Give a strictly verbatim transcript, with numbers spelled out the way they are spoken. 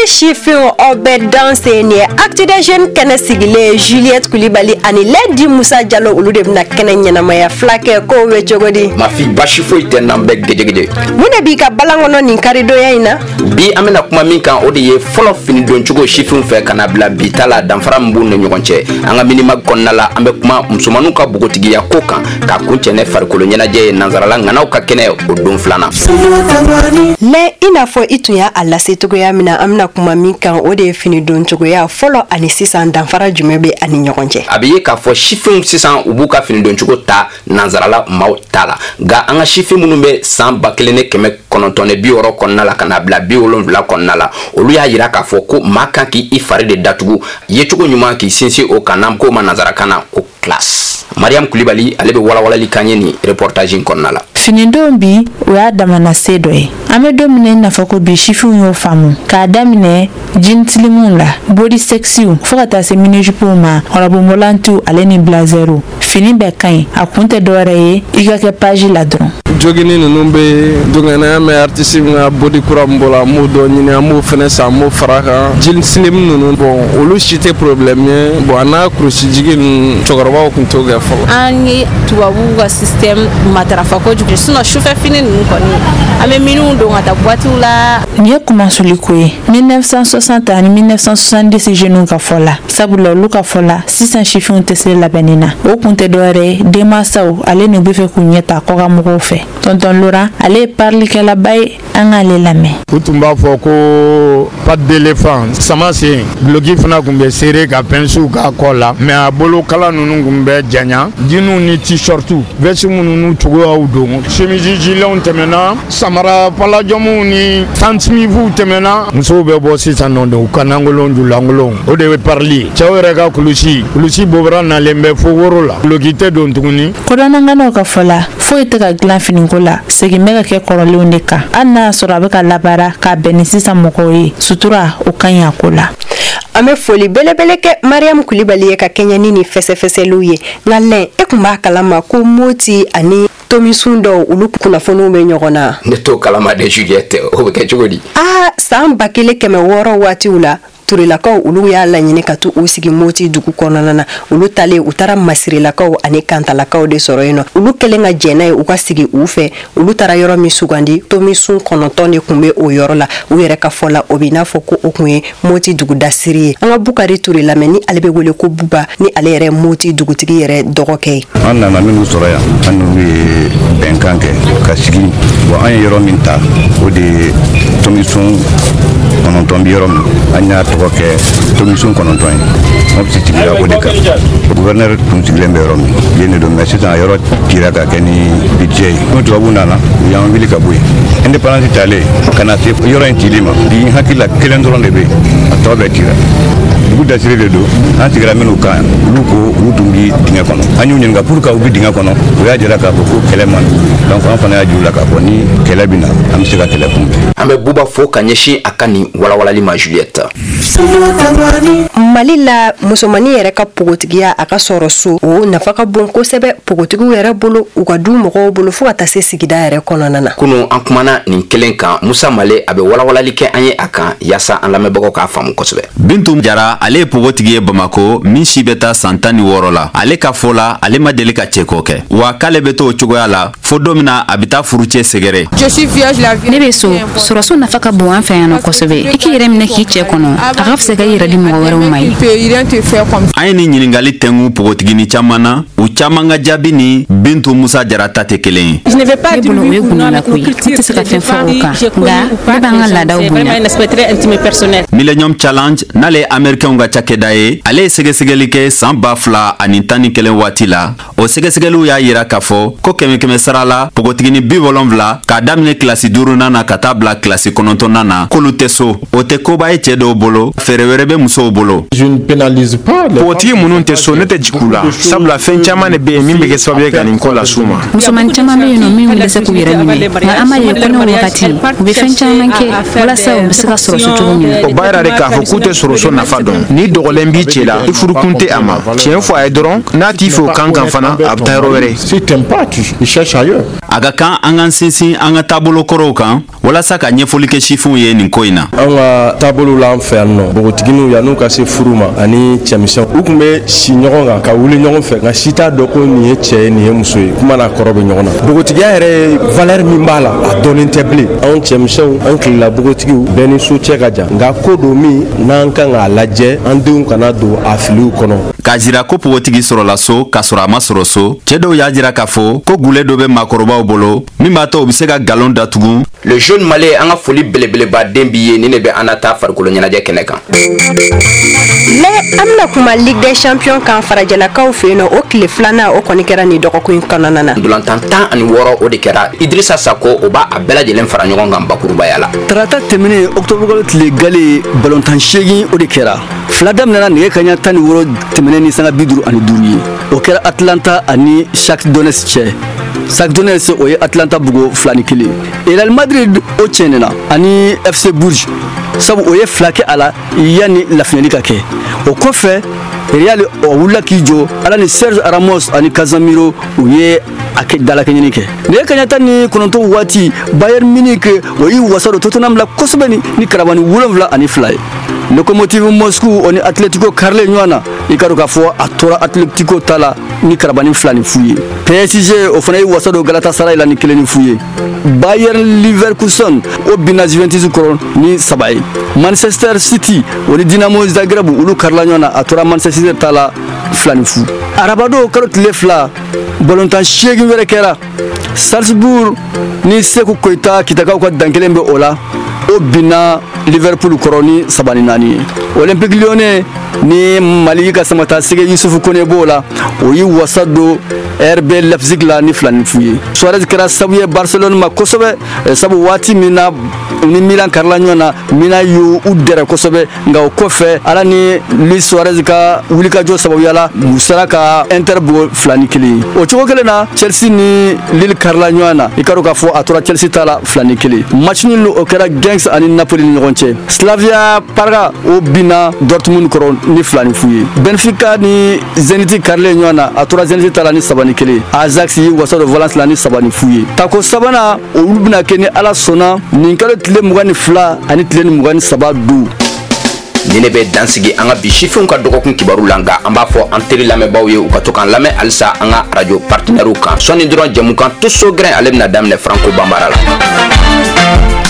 Sifinw, aw bɛɛ danse. Nin ye Actu des Jeunes kɛnɛ sigilen. Juliette Kulibali ani Lɛdi Musa Jalo, olu de bɛna kɛnɛ ɲɛnamaya. Fila kɛ kow bɛ cogo di? Mafi, basi foyi tɛ n'an bɛɛ gejegede. Mun de b'i ka balan kɔnɔ nin karidonya in na? Bi, an bɛna kuma min kan, o de ye fɔlɔ finidoncogo sifinw fɛ ka na bila bi ta la, danfara min b'u ni ɲɔgɔn cɛ. An ka Mini Mag kɔnɔna la, an bɛ kuma musomaninw ka bogotigiya ko kan, ka kun cɛ ne farikolo ɲɛnajɛ ye, nansarala ŋanaw ka kɛnɛ, o don filanan. Lɛ, i n'a fɔ i tun y'a a lase cogoya min na, an bɛna kuma min kan, o de ye fini don cogoya fɔlɔ ani sisan, danfara jumɛn bɛ ani ɲɔgɔn cɛ? A bɛ ye k'a fɔ sifinw sisan, u b'u ka finidoncogo ta nansarala maaw ta la. Nka an ka sifin minnu bɛ san ba kelen ni kɛmɛ kɔnɔntɔn ni bi wɔɔrɔ kɔnɔna la ka na bila bi wolonwula kɔnɔna la, olu y'a yira k'a fɔ ko maa kan k'i fari de datugu, yecogo ɲuman k'i sinsin o kan, n'an k'o ma nansarakan na ko classe. Mariam Kulibali, ale bɛ walawalali kan ye nin reportage in kɔnɔna la. Finidon bi, o y'a damana se dɔ ye. An bɛ don min na i n'a fɔ ko bi, sifinw y'o faamu k'a daminɛ jean slimuw la, body sexiw, fo ka taa se mini-jupew ma, robe molantiw ale ni blazerw. Fini bɛɛ ka ɲi, a kun tɛ dɔwɛrɛ ye, i ka kɛ page la dɔrɔn. Jogini ninnu bɛ dongɛnɛ mɛ, artiste min ka body kura min bɔra, an b'o dɔ ɲini, an b'o fɛnɛ san, an b'o fara kan. Jean slim ninnu, bon, olu si tɛ problème ye. Bon, a n'a kurusi jigi ninnu, cɛkɔrɔbaw tun t'o kɛ fɔlɔ. An ye tubabuw ka système matarafa kojugu, sinon sufɛ fini ninnu kɔni, an bɛ minnu don ka taa boîte la. Nin ye kumasuli ko ye mille neuf cent soixante ani mille neuf cent soixante-dix jeunes ka fɔ la, sabula olu ka fɔ la, sisan sifinw tɛ se labɛnni na. O kun tɛ dɔwɛrɛ ye, denmansaw ale n'u bɛ fɛ k'u ɲɛ ta kɔkan mɔgɔw fɛ. Tonton Laurent, ale ye parilikɛlaba ye, an k'ale lamɛn. U tun b'a fɔ ko patte d'éléphant, sama sen, duloki fana tun bɛ serré ka pincew k'a kɔ la, mais a bolokala ninnu tun bɛ janya. Jeanw ni t-shirtiw, veste minnu n'u cogoyaw don, chemise giletw tɛmɛna, samara palajɔmuw ni Stan Smithw tɛmɛna. Musow bɛ bɔ sisan nɔ de, u ka nankolon julankolon, o de ye parili ye. Cɛw yɛrɛ ka kulusi kulusi bobara nalen bɛ fo woro la, duloki tɛ don tuguni. Kodɔnnanganaw ka fɔ la, foyi tɛ ka dilan finiko la, segin bɛ ka kɛ kɔrɔlenw de kan, hali n'a y'a sɔrɔ a bɛ ka labaara k'a bɛn ni sisan mɔgɔw ye. Sutura, o ka ɲi a ko la. An bɛ foli belebele kɛ Mariam Kulibali ye ka kɛɲɛ ni nin fɛsɛfɛsɛliw ye. Nka lɛn, e tun b'a kalama ko Moti ani Tomisun dɔw, olu kunnafoniw bɛ ɲɔgɔn na? Ne t'o kalama de, Juliette. O bɛ kɛ cogo di? Aa, san ba kelen kɛmɛ wɔɔrɔ waatiw la, Turelakaw, olu y'a laɲini ka to u sigi Moti dugu kɔnɔna na. Olu talen, u taara Masirelakaw ani Kantalakaw de sɔrɔ yen nɔ. Olu kɛlen ka jɛn n'a ye u ka sigi u fɛ, olu taara yɔrɔ min sugandi, Tomisun kɔnɔntɔn de tun bɛ o yɔrɔ la. U yɛrɛ ka fɔ la, o bɛ n'a fɔ ko o tun ye Moti dugudasiri ye. An ka Bukari Ture lamɛn, ni ale bɛ wele ko Buba, ni ale yɛrɛ Moti dugutigi yɛrɛ dɔgɔkɛ ye. An nana minnu sɔrɔ yan, an n'olu ye bɛnkan kɛ ka sigi. Bon, an ye yɔrɔ min ta, o de ye Tomisun kɔnɔntɔn bi yɔrɔ min, an y'a tɔgɔ kɛ Tomisun kɔnɔntɔn ye. Mɔpiti sigira o de kan. Gouverneur tun sigilen bɛ yɔrɔ min, yen de don, mais sisan a yɔrɔ cira ka kɛ ni budget ye. N'o tubabuw nana, u y'an wuli ka bɔ yen. Indépendance talen ka na se yɔrɔ in cili ma bi, n hakili la kelen dɔrɔn de bɛ yen, a tɔ bɛɛ cira. Dugu dasiri de don. An sigira minnu kan, olu ko olu tun bi dingɛ kɔnɔ. An y'u ɲininka pour que u bi dingɛ kɔnɔ, u y'a jira k'a fɔ ko kɛlɛ man d'u. Donc an fana y'a jira u la k'a fɔ ni kɛlɛ bɛ na, an bɛ se ka kɛlɛ kunbɛn. An bɛ Buba fo ka ɲɛsin a ka nin walawalali ma, Juliette. Mali la, musomannin yɛrɛ ka pogotigiya, a ka sɔrɔ so, o nafa ka bon kosɛbɛ pogotigiw yɛrɛ bolo, u ka du mɔgɔw bolo, fo ka taa se sigida yɛrɛ kɔnɔna na. Kunu, an kumana nin kelen kan. Musa Male, a bɛ walawalali kɛ an ye a kan yaasa an lamɛnbagaw k'a faamu kosɛbɛ. Bintu Jara, ale ye pogotigi ye Bamako, min si bɛ taa san tan ni wɔɔrɔ la. Ale ka fɔ la, ale ma deli ka cɛko kɛ, wa k'ale bɛ to o cogoya la fo don min na a bɛ taa furucɛ sɛgɛrɛ. Ne bɛ so sɔrɔso nafa ka bon an fɛ yan nɔ kosɛbɛ. I k'i yɛrɛ minɛ k'i cɛ kɔnɔ, a ka fisa ka i yɛrɛ di mɔgɔ wɛrɛw ma ye. An ye nin ɲiningali tɛngu pogotigini caman na. U caman ka jaabi ni Bintu Musa Jara ta tɛ kelen ye. Ne bolo, o ye gundola ko ye, ne tɛ se ka fɛn fɔ o kan, nka ne b'an ka laadaw bonya. Millennium Challenge, n'ale ye Américainw ka cakɛda ye, ale ye sɛgɛsɛgɛli kɛ saan ba fila ani tan ni kelen waati la. O sɛgɛsɛgɛliw y'a yira k'a fɔ ko kɛmɛ kɛmɛ sara la, pogotigini bi wolonfila, k'a daminɛ kilasi duurunan na ka taa bila kilasi kɔnɔntɔnnan na, k'olu tɛ so. O tɛ koba ye cɛɛ dɔw bolo, fɛɛrɛ wɛrɛ bɛ musow bolo. Pogotigi minnu tɛ so, ne tɛ jigin u la, sabula fɛn caman de bɛ yen min bɛ kɛ sababu ye ka nin ko las'u ma. Musomanin caman bɛ yen nɔ minnu bɛ se k'u yɛrɛ minɛ, nka an b'a ye kɔɲɔ wagati, u bɛ fɛn caman kɛ walasa u bɛ se ka sɔrɔ so cogo min na. O baara b'a yira de k'a fɔ k'u tɛ sɔrɔso nafa dɔn. N'i dɔgɔlen b'i cɛ la, i furukun tɛ a ma. Tiɲɛ fɔ a ye dɔrɔn, n'a t'i fɛ o kan kan fana, a bɛ taa yɔrɔ wɛrɛ. Si t'aimes pas, tu cherches ailleurs. A ka kan an k'an sinsin an ka taabolo kɔrɔw kan walasa ka ɲɛfɔli kɛ sifinw ye nin ko in na. An ka taabolo la, an fɛ yan nɔ, npogotigininw, yan'u ka se furu ma, ani cɛmisɛnw, u tun bɛ si ɲɔgɔn kan ka wuli ɲɔgɔn fɛ, nka si t'a dɔn ko nin ye cɛ ye, nin ye muso ye. Kuma n'a kɔrɔ bɛ ɲɔgɔn na. Npogotigiya yɛrɛ ye, valeur min b'a la, a dɔnnen tɛ bilen. Anw cɛmisɛnw, an tilela npogotigiw bɛɛ ni so cɛ ka jan, nka ko don min n'an kan k'a lajɛ, an denw kana don a filiw kɔnɔ. K'a jira ko npogotigi sɔrɔla so k'a sɔrɔ a ma sɔrɔ so, cɛɛ dɔw y'a jira k'a fɔ ko gule dɔ bɛ maakɔrɔbaw bolo min b'a to u bɛ se ka galon datugu. Le jeune malien, an ka foli belebeleba den b'i ye. Ni ne bɛ an na taa farikolo ɲɛnajɛ kɛnɛ kan. Mais an bɛna kuma Ligue des champions kan farajɛlakaw fɛ yen nɔ. O tile filanan, o kɔni kɛra nin dɔgɔkun in kɔnɔna na. Ndolantan tan ani wɔɔrɔ, o de kɛra. Idrissa Sako, o b'a a bɛɛ lajɛlen fara ɲɔgɔn kan bakurubaya la. Tarata tɛmɛnen, octobre kalo tile gale, balontan seegin, o de kɛra. Fila daminɛna nɛgɛ kaɲa tan ni wɔɔrɔ tɛmɛnen ni sanga bi duuru ani duuru ye. O kɛra Atlanta ani Shakhtar Donetsk cɛ. Shakhtar Donetsk, o ye Atlanta bugo fila ni kelen. Real Madrid, o tiɲɛnena ani F C Bourges, sabu o ye fila kɛ a la yanni lafiɲɛli ka kɛ. O kɔfɛ, Real, o wulila k'i jɔ ala ni Serge Ramos ani Casemiro, u ye a kɛ dalakɛɲini kɛ. Nɛgɛ kaɲa tan ni kɔnɔntɔn waati, Bayern Munich, o y'i wasa don Tottenham la kosɛbɛ ni ni karabani wolonwula ani fila ye. Lokomotiv Moscou, o ni Atletico karilen ɲɔgɔn na. I ka dɔn k'a fɔ a tora Atletico ta la ni karabani fila ni fu ye. P S G, o fana y'i wasa don Galatasaray la ni kelen ni fu ye. Bayern Leverkusen, o binna Juventus kɔrɔ ni saba ye. Manchester City, o ni Dinamo Zagreb, olu karila ɲɔgɔn na. A tora Manchester City ta la fila ni fu. Arabado kalo tile fila, balontan seegin wɛrɛ kɛra. Salzbourg ni Seku Koyita, Kitakaw ka dan kelen bɛ o la, o binna Liverpool kɔrɔ ni saba ni naani ye. Olympique Lyonnais ni Mali ka samata sege Yusufu Kone b'o la, o y'i wasa don R B Leipzig la ni fila ni fu ye. Suarez kɛra sabu ye Barcelone ma kosɛbɛ, sabu waati min na ni Milan karila ɲɔgɔn na, Milan y'u u dɛrɛ kosɛbɛ, nka o kɔfɛ, ala ni Luis Suarez ka wulikajɔ sababuya la, u sera ka Inter bugɔ fila ni kelen ye. O cogo kelen na, Chelsea ni Lille karila ɲɔgɔn na. I ka dɔn k'a fɔ a tora Chelsea ta la fila ni kelen. Match nul, o kɛra Genk ani Napoli ni ɲɔgɔn cɛ. Slavia Praga, o binna Dortmund kɔrɔ ni fila ni fu ye. Benfica ni Zenit karilen ɲɔgɔn na, a tora Zenit ta la ni saba ni kelen. Ajax y'i wasa don Valence la ni saba ni fu ye. Tako sabanan, olu bɛna kɛ ni Ala sɔnna nin kalo tile mugan ni fila ani tile ni mugan ni saba don. Ni ne bɛ dansigi an ka bi sifinw ka dɔgɔkun kibaru la, nka an b'a fɔ an teri lamɛnbaaw ye, u ka to k'an lamɛn halisa an ka arajo partenaires kan. Sɔɔni dɔrɔn, jɛmukan Tuso Gɛrɛn, ale bɛna daminɛ Franco Banbara la.